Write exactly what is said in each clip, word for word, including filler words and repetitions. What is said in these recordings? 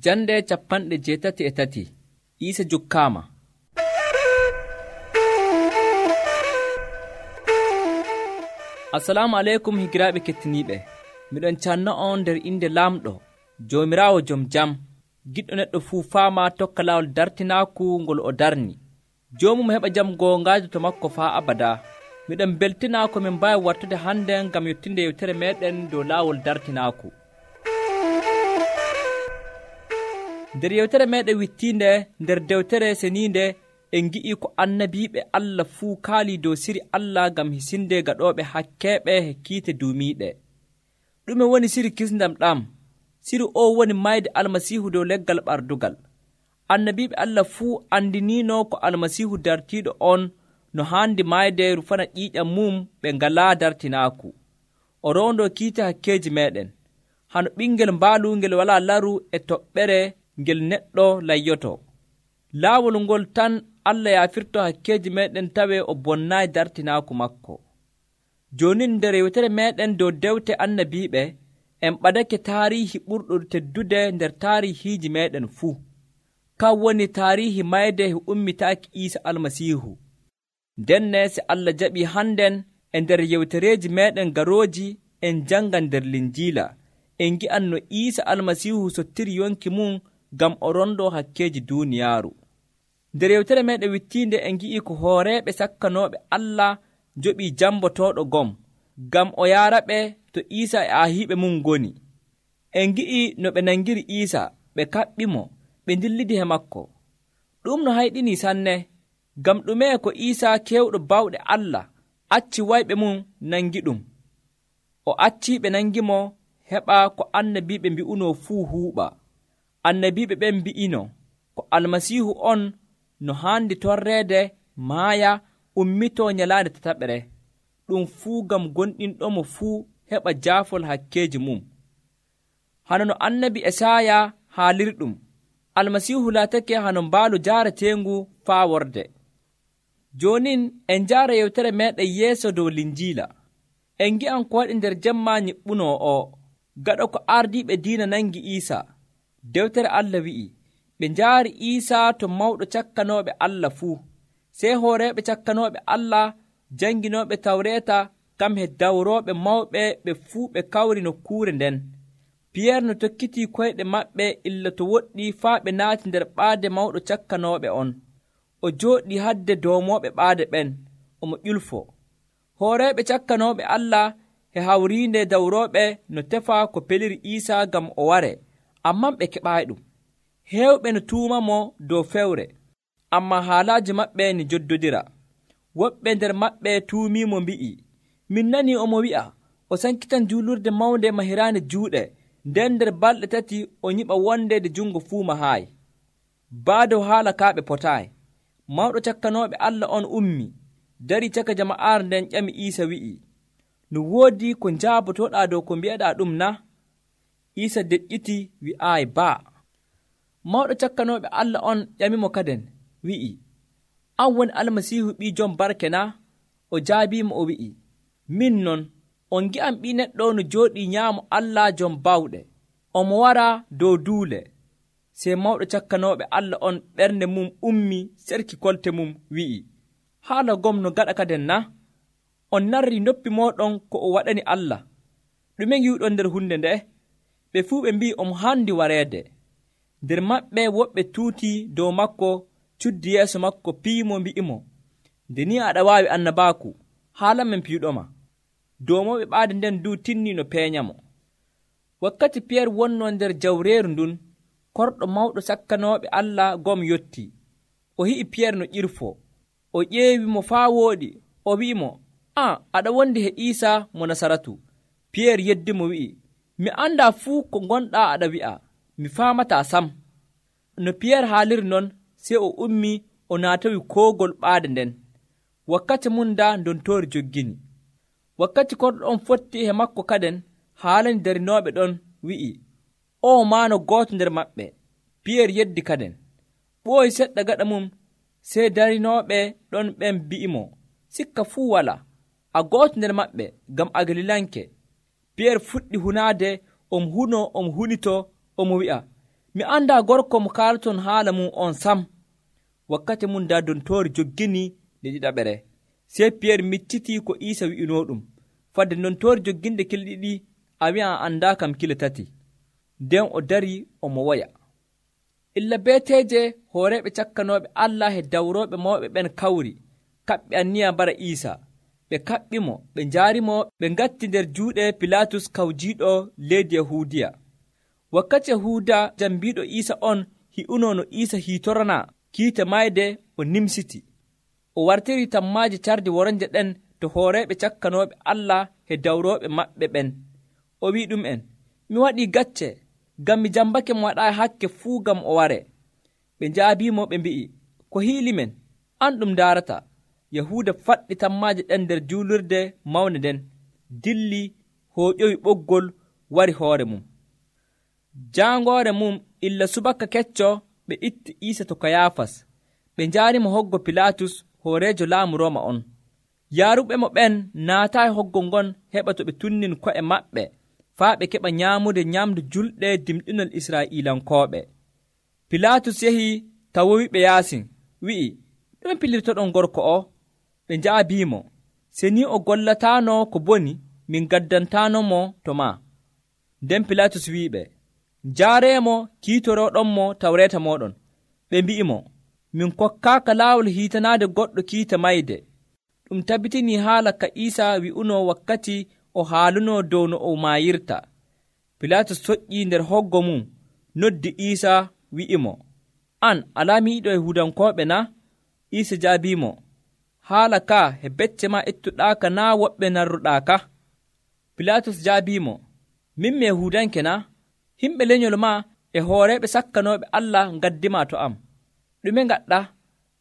Jande capanɗe jeetati e tati Iisa jukkaama. Assalamu aleykum higiraaɓe kettiniiɓe. Miɗon canna on nder inde laamɗo Joomiraawo jom jam, giɗɗo neɗɗo fuu faama tokka laawol dartinaaku ngol o darni. Joomum heɓa jam goongaajo to makko faa abadaa. Miɗon beltinaa ko min mbaawi wartude hande ngam yottinde yewtere meeɗen dow laawol dartinaaku. Nder yewtere meeɗen wittiinde nder dewtere seniinde en ngi'ii ko annabiiɓe Allah fuu kaalii dow siri Allah ngam hisinde gaɗooɓe hakkeeɓe e kiite duumiiɗe. Ɗume woni siri kisndam ɗam? Siri o woni mayde Almasiihu dow leggal ɓardugal. Annabiiɓe Allah fuu andiniino ko Almasiihu dartiiɗo on no haandi mayde rufana ƴiiƴam mum ɓe ngalaa dartinaaku. O rowndoo kiite hakkeeji meeɗen, hano ɓingel mbaalu ngel walaa laru e toɓɓere ngel neɗɗo layyoto. Laawol ngol tan Allah yaafirto hakkeeji meeɗen tawe o bonnaayi dartinaaku makko. Jooni nder yewtere meeɗen dow dewte annabiiɓe en ɓadake taariihi ɓurɗo teddude nder taariihiiji meeɗen fuu. Kan woni taariihi mayde e ummitaaki Iisa Almasiihu. Ndenne se Allah jaɓii hannden e nder yewtereeji meeɗen garooji en jangan nder Linjiila en ngi'an no Iisa Almasiihu sottiri yonki mum ngam o rondoo hakkeeji duuniyaaru. Nder yewtere meeɗen wittiinde en ngi'ii ko hooreeɓe sakkanooɓe Allah joɓii jambotooɗo gom ngam o yaaraɓe to Iisa e aahiiɓe mum ngoni. En ngi'ii no ɓe nangiri Iisa, ɓe kaɓɓimo, ɓe ndillidi he makko. Ɗum no hayɗinii sanne, ngam ɗume ko Iisa keewɗo bawɗe Allah acci wayɓe mum nangiɗum. O accii ɓe nangimo heɓa ko annabiiɓe mbi'unoo fuu huuɓa. Annabiiɓe ɓen mbi'ino ko Almasiihu on no haandi torreede, maaya, ummitoo nyalaande tataɓere. Ɗum fuu ngam gonɗinɗomo fuu heɓa jaafol hakkeeji mum. Hano no annabi Esaaya haalirɗum, Almasiihu laatake hano mbaalu jaareteengu faa worde. Joonin en njaara yewtere meeɗen yeeso dow Linjiila. En ngi'an ko waɗi nder jemma nyiɓɓunoo o, gaɗa ko ardiiɓe diina nangi Iisa. Dewtere Allah wi'i, ɓe njaari Iisa to mawɗo cakkanooɓe Allah fuu. Sey hooreeɓe cakkanooɓe Allah janginooɓe tawreeta kam he dawrooɓe mawɓe ɓe fuu ɓe kawri nokkuure nden. Piyeer no tokkitii koyɗe maɓɓe illa to woɗɗi faa ɓe naati nder ɓaade mawɗo cakkanooɓe on. O jooɗii hadde doomooɓe ɓaade ɓen, omo ƴulfo. Hooreeɓe cakkanooɓe Allah he hawriinde dawrooɓe no tefa ko peliri Iisa ngam o ware, amman ɓe keɓaayi-ɗum. Heewɓe no tuumamo dow fewre, ammaa haalaaji maɓɓe ni joddodira. Woɓɓe nder maɓɓe tuumiimo mbi'i, min nanii omo wi'a o sankitan juulurde mawnde mahiraande juuɗe, nden nder balɗe tati o nyiɓa wonde nde jungo fuu mahaayi. Baado haala kaa ɓe potaayi. Mawɗo cakkanooɓe Allah on ummi, darii caka jama'aare nden ƴami Iisa wi'i, no woodi ko njaabotoɗaa dow ko mbi'aɗaa ɗum na? Iisa deƴƴiti wi'aayi baa. Mawɗo cakkanooɓe Allah on ƴamimo kaden wi'i, an woni Almasiihu ɓii jom barke na? O jaabiimo o wi'i, min non. On ngi'an ɓii neɗɗo no jooɗii nyaamo Allah jom bawɗe, omo wara dow duule. Sey mawɗo cakkanooɓe Allah on ɓernde mum ummi serki kolte mum wi'i, haala gom no gaɗa kaden na? On narrii noppi mooɗon ko o waɗani Allah. Ɗume ngiwɗon nder hunde nde'e? Ɓe fuu ɓe mbi'i omo haandi wareede. Nder maɓɓe woɓɓe tuutii dow makko, cuddi yeeso makko piimo mbi'imo, nde ni aɗa waawi annabaaku, haalamen piiɗoma. Doomooɓe ɓaade nden du tinnii no peeñamo. Wakkati Piyeer wonnoo nder jawreeru ndun, korɗo mawɗo sakkanooɓe Allah gom yottii. O hi'i Piyeer no ƴirfoo. O ƴeewimo faa wooɗi, o wi'imo, an aɗa wondi he Iisa mo Nasaratu. Piyeer yeddimo wi'i, mi anndaa fuu ko gonɗaa aɗa wi'a, mi faamataa sam. No Piyeer haaliri non, sey o ummii o naatowi koogol ɓaade nden. Wakkati mum daa ndontoori joggini. Wakkati korɗo on fotti he makko kaden, haalani darinooɓe ɗon wi'i, o maano gooto nder maɓɓe. Piyeer yeddi kaden. Ɓooyi seɗɗa gaɗa mum, sey darinooɓe ɗon ɓen bi'imo, sikka fuu walaa, a gooto nder maɓɓe, ngam a Galilanke. Piyeer fuɗɗi hunaade, omo hunoo omo hunitoo, omo wi'a, mi anda gorko mo kaalton haala mum on sam. Wakkati mum daa dontoori joggini nde ɗiɗaɓere, sey Piyeer miccitii ko Iisa wi'inoo ɗum. Fadde dontoori jogginde kile ɗiɗi a wi'a a andaa kam kile tati. Nden o darii omo woya. Illa beeteeje hooreeɓe cakkanooɓe Allah e dawrooɓe mawɓe ɓen kawri, kaɓɓe anniya bara Iisa. Ɓe kaɓɓimo, ɓe njaarimo, ɓe ngatti nder juuɗe Pilaatus kawjiiɗo leydi Yahuudiya. Wakkati Yahuuda jambiiɗo Iisa on hi'unoo no Iisa hiitoranaa kiite mayde, o nimsiti. O wartiri tammaaji cardi woronje ɗen to hooreeɓe cakkanooɓe Allah e dawrooɓe maɓɓe ɓen. O wi'i ɗum'en, mi waɗii gacce, ngam mi jambake mo waɗaayi hakke fuu ngam o ware. Ɓe njaabiimo ɓe mbi'i, ko hiili men, an ɗum ndaarata. Yahuuda faɗɗi tammaaji ɗen nder juulurde mawnde nden, dilli, hooƴoyi ɓoggol, wari hoore mum. Jaangoore mum illa subaka kecco ɓe itti Iisa to Kayaafas. Ɓe njaarimo hoggo Pilaatus, hooreejo laamu Rooma on. Yaaruɓe mo ɓen naataayi hoggo ngon heɓa to ɓe tunnin ko'e maɓɓe, faa ɓe keɓa nyaamude nyamdu julɗe dimɗinol Israa'iilankooɓe. Pilaatus yahii tawowiɓe yaasin, wi'i, ɗume pilirtoɗon gorko o? Ɓe njaabiimo, se ni o gollataano ko boni, min gaddantaanomo to maa. Nden Pilaatus wi'iɓe, njaareemo kiitorooɗonmo tawreeta mooɗon. Ɓe mbi'imo, min kokkaaka laawol hiitanaade goɗɗo kiita mayde. Ɗum tabbitinii haala ka Iisa wi'unoo wakkati o haalunoo dow no o maayirta. Pilaatus soƴƴii nder hoggo mum, noddi Iisa wi'imo, an alaa miiɗo Yahuudankooɓe na? Iisa jaabiimo, haala ka e becce ma ettuɗaaka naa woɓɓe narruɗaaka? Pilaatus jaabiimo, min mi Yahuudanke na? Himɓe lenyol ma e hooreeɓe sakkanooɓe Allah ngaddima to am. Ɗume ngaɗɗa?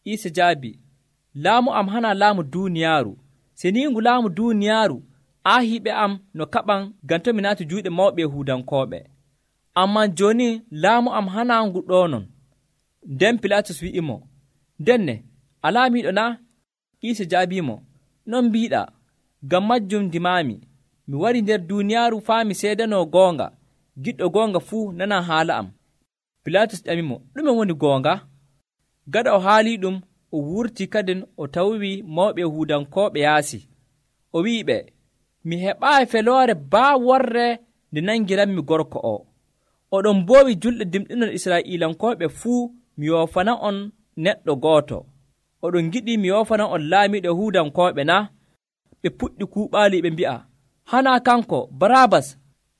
Iisa jaabi, laamu am hana laamu duuniyaaru. Se ni ngu laamu duuniyaaru aahiiɓe am no kaɓan ngam to mi naati juuɗe mawɓe Yahuudankooɓe. Ammaa jooni laamu am hana ngu ɗoonon. Nden Pilaatus wi'imo, ndenne alaa miiɗo na? Iisa jaabiimo, non mbiiɗaa. Ngam majjum ndimaami, mi wari nder duuniyaaru faa mi seedanoo goonga. Giɗɗo goonga fuu nana haala am. Pilaatus ƴamimo, ɗume woni goonga? Gaɗa o haalii ɗum, o wurtii kadin o tawii mawɓe Yahuudankooɓe yaasi. O wi'iɓe, mi heɓaayi feloore baa worre nde nangiranmi gorko o. Oɗon mboowi julɗe dimɗinol Israa'iilankooɓe fuu mi yoofana on neɗɗo gooto. Oɗon giɗi mi yoofana on laamiiɗo Yahuudankooɓe na? Ɓe puɗɗi kuuɓaali ɓe mbi'a, hanaa kanko Baraabas.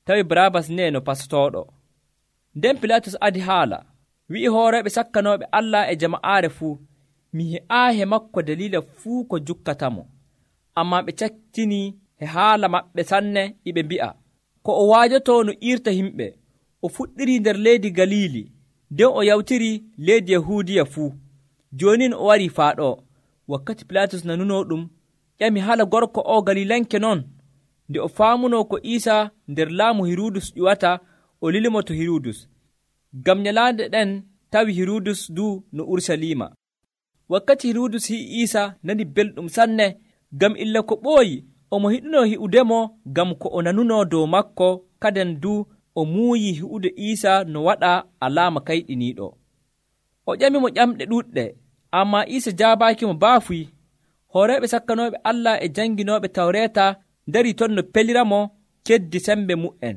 Tawi Baraabas ne no pastooɗo. Nden Pilaatus adi haala, wi'i hooreeɓe sakkanooɓe Allah e jama'aare fuu, mi he'aayi he makko daliila fuu ko jukkatamo. Ammaa ɓe caktinii he haala maɓɓe sanne, iɓe mbi'a, ko o waajotoo no iirta himɓe. O fuɗɗirii nder leydi Galiili, nden o yawtirii leydi Yahuudiya fuu. Jooni o warii faa ɗo. Wakkati Pilaatus nanunoo ɗum, ƴami hala gorko o Galiilanke non. Nde o faamunoo ko Iisa nder laamu Hirudus ƴuwata, o lilimo to Hirudus. Ngam nyalaande ɗen tawi Hirudus du no Ursaliima. Wakkati Hirudus hi'i Iisa nani belɗum sanne, ngam illa ko ɓooyi omo hiɗunoo hi'udemo ngam ko o nanunoo dow makko, kaden du o muuyi hi'ude Iisa no waɗa alaama kayɗiniiɗo. O ƴamimo ƴamɗe ɗuuɗɗe, ammaa Iisa jaabaakimo baafuy. Hooreeɓe sakkanooɓe Allah e janginooɓe tawreeta ndarii ton no peliramo keddi sembe mu'en.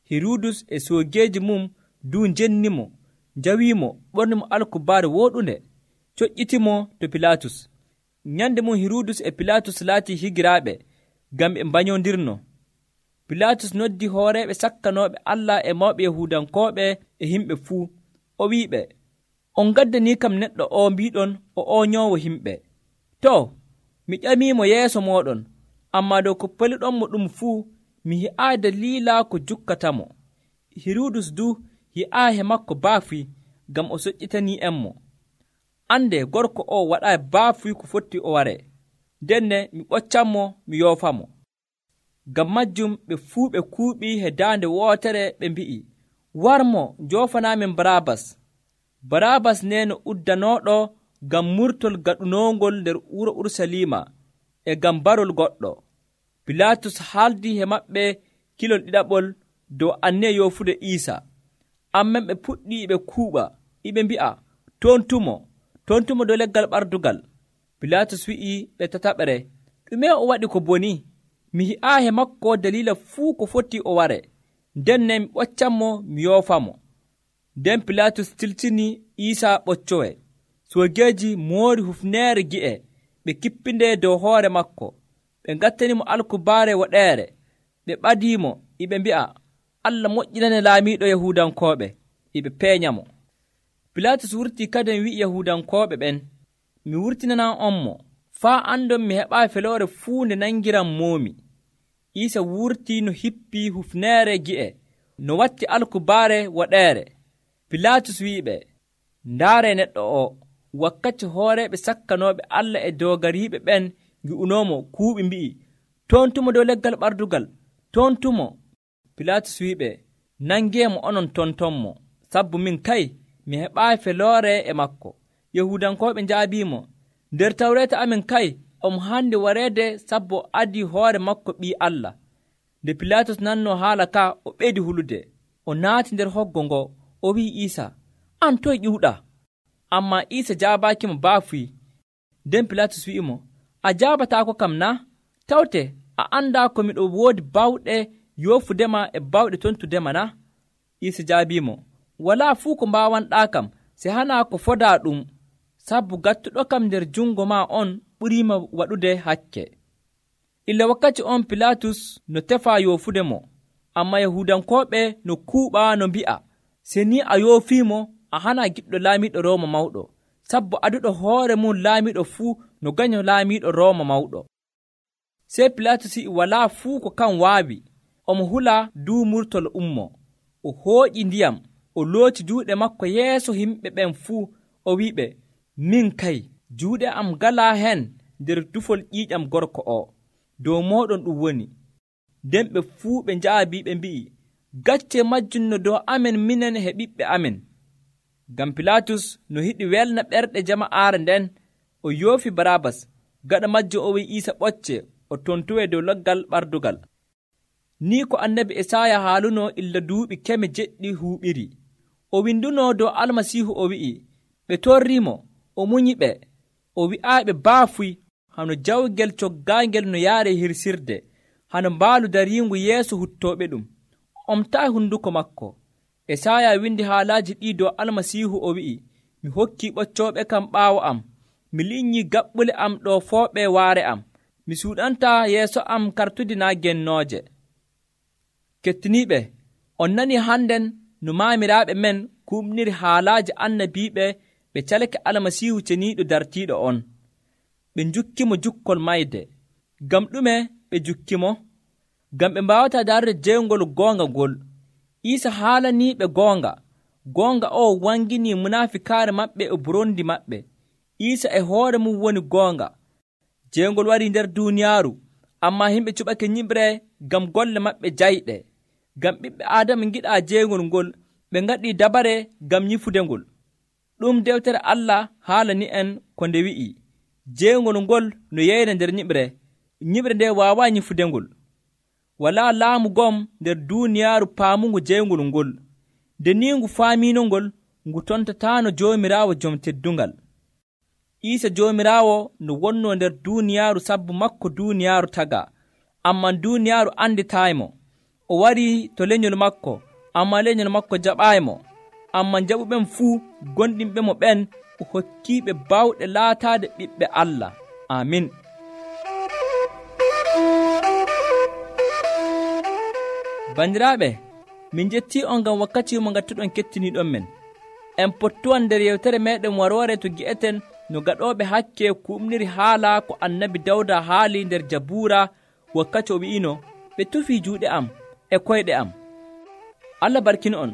Hirudus e soogeeji mum du njennimo, njawiimo, ɓornimo alkubaare wooɗunde, coƴƴitimo to Pilaatus. Nyande mum Hirudus e Pilaatus laatii higiraaɓe, ngam ɓe mbañondirno. Pilaatus noddi hooreeɓe sakkanooɓe Allah e mawɓe Yahuudankooɓe e himɓe fuu. O wi'iɓe, on ngaddanii kam neɗɗo o mbiiɗon o ooñoowo himɓe. To, mi ƴamiimo yeeso mooɗon, ammaa dow ko poliɗonmo ɗum fuu, mi hi'aayi daliila ko jukkatamo. Hirudus du hi'aayi he makko baafuy, ngam o soƴƴitanii enmo. Ande gorko o waɗaayi baafuy ko fotti o ware. Denne mi ɓoccanmo mi yoofamo. Ngam majjum ɓe fuu ɓe kuuɓii he daande wootere ɓe mbi'i, warmo njoofanaamen Baraabas. Baraabas ne no uddanooɗo ngam murtol gaɗunoongol nder wuro Ursaliima e ngam barol goɗɗo. Pilaatus haaldii he maɓɓe kilol ɗiɗaɓol dow anniya yoofude Iisa. amman ɓe puɗɗi ɓe kuuɓa iɓe mbi'a tontumo tontumo dow leggal ɓardugal. Pilatus wi'i ɓe tataɓere, ɗume o waɗi ko boni? Mi hi'aahe makko dalila fuu ko foti o ware, nden ne mi ɓoccanmo mi yoofamo. Nden Pilatus tiltini Iisaa ɓoccowe. Soogeeji moori hufneere gi'e ɓe kippinde dow hoore makko, ɓe ngattanimo alkubaare woɗeere, ɓe ɓadiimo iɓe mbi'a, Allah moƴƴinane laamiiɗo Yahuudankooɓe, iɓe peeñamo. Pilatus wurtii kadin wi'i Yahuudankooɓe ɓen, mi wurtinanan on mo, faa andon mi heɓaa feloore fuu nde nangiran moomi. Iisa wurtii no hippii hufneere gi'e, no watti alkubaare woɗeere. Pilatus wi'iɓe, ndaaree neɗɗo o. Wakkati hooreeɓe sakkanooɓe Allah e doogariiɓe ɓen ngi'unoomo kuuɓi mbi'i, tontumo dow leggal ɓardugal, tontumo. Pilatus wi'iɓe, nangeemo onon tontonmo, sabbu min kay mi heɓaayi feloore e makko. Yahuudankooɓe njaabiimo, nder tawreeta amin kay omo haandi wareede sabbu o adii hoore makko ɓii Allah. Nde Pilatus nannoo haala ka, o ɓeydi hulude. O naati nder hoggo ngo, o wi'i Iisa, an toye ƴiwɗaa? Ammaa Iisa jaabaakimo baafuyi. Nden Pilatus wi'imo, a jaabataako kam na? Tawte a anndaa ko miɗo woodi bawɗe yoofudema e bawɗe tontudema na? Iisa jaabiimo, walaa fuu ko mbaawanɗaa kam, se hanaa ko fodaa ɗum, sabbu gattuɗo kam nder jungo maa on ɓuriima waɗude hakke. Illa wakkati on Pilatus no tefaa yoofude mo, ammaa Yahuudankooɓe no kuuɓaa no mbi'a, se ni a yoofiimo, a hanaa giɗɗo laamiiɗo Rooma mawɗo, sabbu aduɗo hoore mum laamiiɗo fuu no ganyo laamiiɗo Rooma mawɗo. Sey Pilatus yi'i walaa fuu ko kan waawi, omo hula duumurtol ummo, o hooƴi ndiyam, o looti juuɗe makko yeeso yimɓe ɓen fuu, o wi'iɓe, min kay juuɗe am galaa hen nder tufol ƴiiƴam gorko o, dow mooɗon ɗum woni. Nden ɓe fuu ɓe njaabii ɓe mbi'i, gacce majjum no dow amen minen he ɓiɓɓe amen. Ngam Pilatus no yiɗi welna ɓerɗe jama'aare nden, o yoofi Baraabas, gaɗa majjum o wi'i Iisa ɓocce o tontuwee dow leggal ɓardugal. Ni ko annabi Esaaya haalunoo illa duuɓi keme jeɗɗi huuɓiri. O windunoo dow Almasiihu o wi'i, ɓe torriimo, o munyiɓe, o wi'aaɓe baafuy, hano jawgel coggaangel no yaare hirsirde, hano mbaalu dariingu yeeso huttooɓe ɗum. O omtaayi hunduko makko. Esaaya windi haalaaji ɗii dow Almasiihu o wi'i, mi hokkii ɓoccooɓe kam ɓaawo am, mi liƴƴii gaɓɓule am ɗo fooɓe waare am, mi suuɗantaa yeeso am kartude naa gennooje. Kettiniiɓe, on nanii hannden no maamiraaɓe men kuumniri haalaaji annabiiɓe ɓe calke Almasiihu ceniiɗo dartiiɗo on. Ɓe njukkimo jukkol mayde. Ngam ɗume ɓe njukkimo? Ngam ɓe mbaawataa daarude jeyngol goonga ngol. Iisa haalaniiɓe goonga. Goonga o wanginii munafikaare maɓɓe e burondi maɓɓe. Iisa e hoore mum woni goonga. Jeyngol warii nder duuniyaaru, ammaa yimɓe cuɓake nyiɓre ngam golle maɓɓe jayɗe. Ngam ɓiɓɓe Aadama ngiɗaa jeyngol ngol, ɓe ngaɗii dabare ngam nyifude ngol. Ɗum dewtere Allah haalani en ko nde wi'i, jeyngol ngol no yeyna nder nyiɓre, nyiɓre nde waawaa nyifude ngol. Walaa laamu gom nder duuniyaaru paamungu jeyngol ngol. Nde ni ngu faamiino ngol, ngu tontataano Joomiraawo jom teddungal. Iisa Joomiraawo no wonnoo nder duuniyaaru sabbu makko duuniyaaru tagaa, ammaa duuniyaaru anditaaymo. O warii to lenyol makko, ammaa lenyol makko jaɓaaymo. Ammaa jaɓuɓen fuu gonɗinɓe mo ɓen o hokkiiɓe bawɗe laataade ɓiɓɓe Allah. Amin. Bandiraaɓe, min jettii on ngam wakkati mo ngattuɗon kettiniiɗon men. En pottuwan nder yewtere meeɗen waroore to gi'eten no gaɗooɓe hakke kuumniri haala ko annabi Dawda haali nder Jabuura wakkati o wi'ino, ɓe tufii juuɗe am e koyɗe am. Allah barkino on.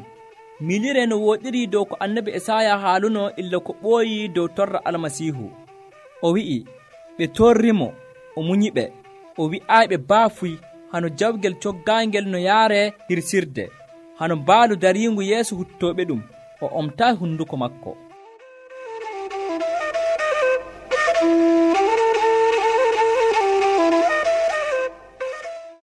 Milire no wooɗiri dow ko annabi Esaaya haaluno illa ko ɓooyi dow torra Almasiihu. O wi'i, ɓe torrimo, o munyiɓe, o wi'aaɓe baafuy, hano jawgel coggaangel no yaare hirsirde, hano mbaalu dariingu yeeso huttooɓe ɗum, o omtaayi hunduko makko.